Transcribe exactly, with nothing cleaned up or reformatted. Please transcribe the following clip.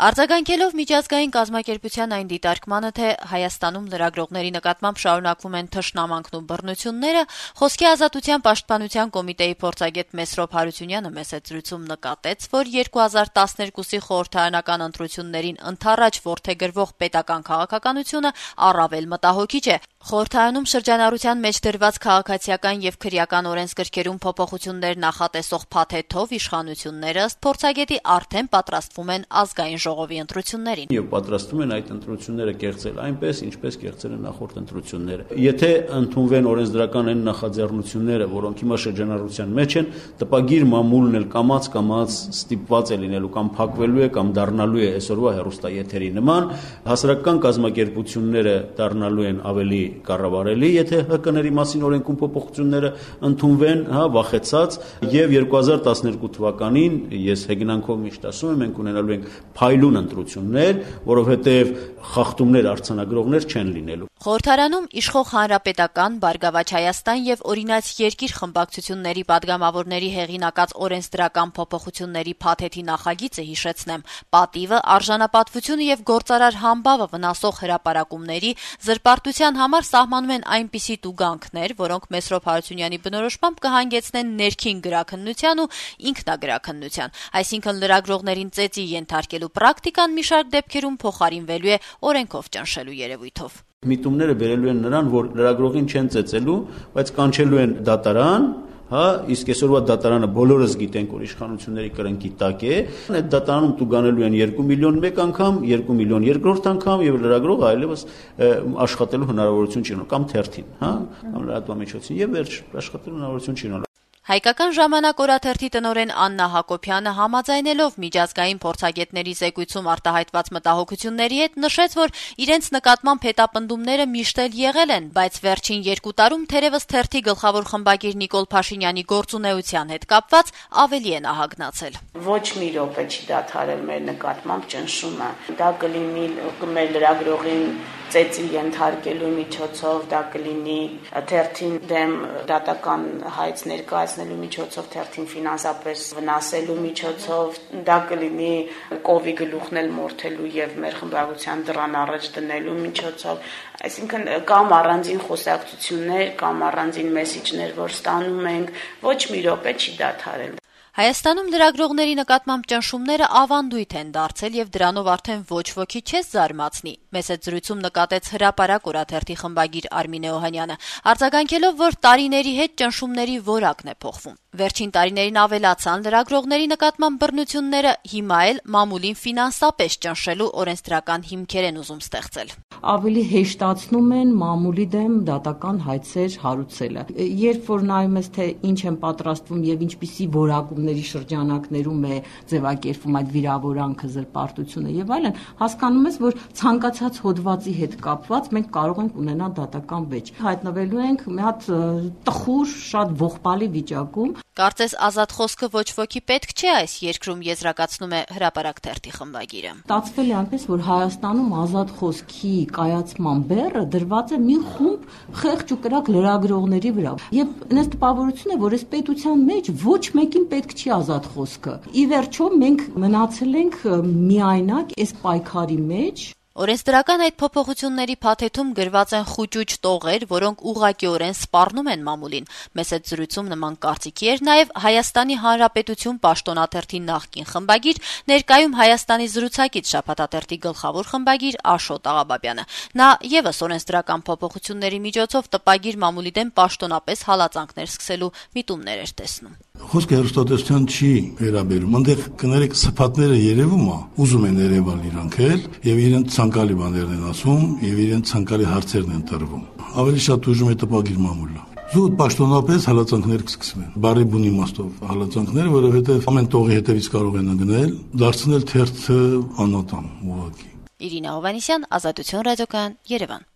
Արձագանքելով միջազգային կազմակերպության այն դիտարկմանը, թե Հայաստանում լրագրողների նկատմամբ շարունակվում են թշնամանքն ու բռնությունները, Խոսքի ազատության պաշտպանության կոմիտեի փորձագետ Մեսրոպ Հարությունյանը մեծ զրույցում նկատեց, որ երկու հազար տասներկուսի խորհրդարանական ընտրություններին ընդառաջ որդեգրվող պետական քաղաքականությունը առավել մտահոգիչ է։ Խորհրդարանում շրջանառության մեջ դրված քաղաքացիական եւ քրեական օրենսգրքերում փոփոխություններ նախատեսող փաթեթով իշխանությունները ըստ փորձագետի արդեն պատրաստվում են ազգային ժողովի ընտրություններին։ Եվ պատրաստվում են այդ ընտրությունները կեղծել այնպես, ինչպես կեղծել են նախորդ ընտրությունները։ Եթե ընդունվեն օրենսդրական այն նախաձեռնությունները, որոնք հիմա շրջանառության մեջ են, տպագիր մամուլն էլ կամաց-կամաց ստիպված է լինելու կամ փակվելու է կամ դառնալու է այսօրվա հեռուստաեթերի նման, հասարակական կազմակերպությունները դառնալու են ավելի կառավարելի, եթե ՀԿ-ների մասին օրենքում փոփոխությունները ընդունվեն, հա, վախեցած, եւ երկու հազար տասներկու թվականին ես հեգնանքով միշտ ասում եմ, մենք ունենալու ենք փայլուն ընտրություններ, որովհետեւ խախտումներ արձանագրողներ չեն լինելու։ Խորհրդարանում իշխող Հանրապետական, Բարգավաճ Հայաստան եւ Օրինաց երկիր խմբակցությունների падգամավորների հեղինակած օրենսդրական փոփոխությունների փաթեթի նախագիծը, հիշեցնեմ, պատիվը, արժանապատվությունը եւ գործարար համբավը վնասող հրապարակումների զրպարտության համար սահմանում են այնպիսի տուգանքներ, որոնք Մեսրոպ Հարությունյանի բնորոշմամբ կհանգեցնեն ներքին գրաքննության ու ինքնագրաքննության, այսինքն լրագրողներին ծեծի ենթարկելու պրակտիկան մի շարք դեպքերում փոխարինվելու է օրենքով ճնշելու երևույթով։ Միտումները բերելու են նրան, որ լրագրողին չեն ծեծելու, բայց կանչելու են դատարան, հա, իսկ այսօրվա դատարանը բոլորս գիտենք, որ իշխանությունների կրնկի տակ է, այդ դատարանում տուգանելու են երկու միլիոն մեկ անգամ, երկու միլիոն երկրորդ անգամ եւ լրագրողը այլևս աշխատելու հնարավորություն չի ունենա, կամ թերթին, հա, կամ լրատվամիջոցին եւ վերջ աշխատելու հնարավորություն չի ունենա։ Հայկական ժամանակ օրաթերթի տնօրեն Աննա Հակոբյանը համաձայնելով միջազգային փորձագետների զեկույցում արտահայտված մտահոգությունների հետ նշեց, որ իրենց նկատմամբ հետապնդումները միշտ էլ եղել են, բայց վերջին երկու տարում թերևս թերթի գլխավոր խմբագիր Նիկոլ Փաշինյանի գործունեության հետ կապված ավելի են ահագնացել։ Ոչ մի րոպե չի դադարել մեր նկատմամբ ճնշումը։ Դա կլինի մեր լրագրողին ծեծի ենթարկելու միջոցով, դա կլինի թերթին դեմ դատական հայց ներկայացնելու միջոցով, թերթին ֆինանսապես վնասելու միջոցով, դա կլինի կովի գլուխն էլ մորթելու եւ մեր խմբագրության դռան առաջ դնելու միջոցով, այսինքն կամ առանձին խոսակցություններ, կամ առանձին մեսիջներ, որ ստանում ենք, ոչ մի րոպե չի դադարել։ Հայաստանում լրագրողների նկատմամբ ճնշումները ավանդույթ են դարձել եւ դրանով արդեն ոչ ոքի չես զարմացնի։ Մեծ զրույցում նկատեց հրապարակ օրաթերթի խմբագիր Արմինե Օհանյանը, արձագանքելով, որ տարիների հետ ճնշումների որակն է փոխվում։ Վերջին տարիներին ավելացան լրագրողների նկատմամբ բռնությունները, հիմա էլ մամուլին ֆինանսապես ճնշելու օրենսդրական հիմքեր են ուզում ստեղծել։ Ավելի հեշտացնում են մամուլի դեմ դատական հայցեր հարուցելը։ Երբ որ նայում ես, թե ինչ են պատրաստվում եւ ինչպիսի որակումների շրջանակներում է ձևակերպվում այդ վիրավորանքը, զրպարտությունը եւ այլն, հասկանում ես, որ ցանկացած հոդվածի հետ կապված մենք կարող ենք ունենալ դատական վեճ։ Հայտնվելու ենք մի հատ տխուր, շատ ողբալի վիճակում։ Կարծես ազատ խոսքը ոչ ոքի պետք չէ այս երկրում, եզրակացնում է հրապարակ թերթի խմբագիրը։ Ստացվել է այնպես, որ Հայաստանում ազատ խոսքի կայացման բեռը դրված է մի խումբ խեղճ ու կրակ լրագրողների վրա։ Եվ այնպես տպավորություն է, որ այս պետության մեջ ոչ մեկին պետք չի ազատ խոսքը։ Ի վերջո մենք մնացել ենք միայնակ այս պայքարի մեջ։ Օրենսդրական այդ փոփոխությունների փաթեթում գրված են խուճուճ տողեր, որոնք ուղղակիորեն սպառնում են մամուլին։ Մեծ զրույցում նման կարծիքի էր նաև Հայաստանի Հանրապետություն պաշտոնաթերթի նախկին խմբագիր, ներկայում Հայաստանի զրուցակից շաբաթաթերթի գլխավոր խմբագիր Աշոտ Աղաբաբյանը։ Նա եւս օրենսդրական փոփոխությունների միջոցով տպագիր մամուլի դեմ պաշտոնապես հալածանքներ սկսելու միտումներ էր տեսնում։ Խոսքը հեռուստատեսության չի վերաբերում, այնտեղ կներեք սփաթները երևում է, ուզում են երևալ իրանք էլ եւ իրենց ցանկալի բաներն են ասում եւ իրենց ցանկալի հարցերն են տրվում։ Ավելի շատ ուժում է տպագիր մամուլը։ Զուտ պաշտոնապես հալածանքներ կսկսվեն։ Բարի բուն իմաստով հալածանքներ, որովհետեւ ամեն տողի հետևից կարող են գնել, դարձնել թերթը անոտամ ուղղակի։ Իրինա Հովանեսյան, Ազատություն ռադիոկայան, Երևան։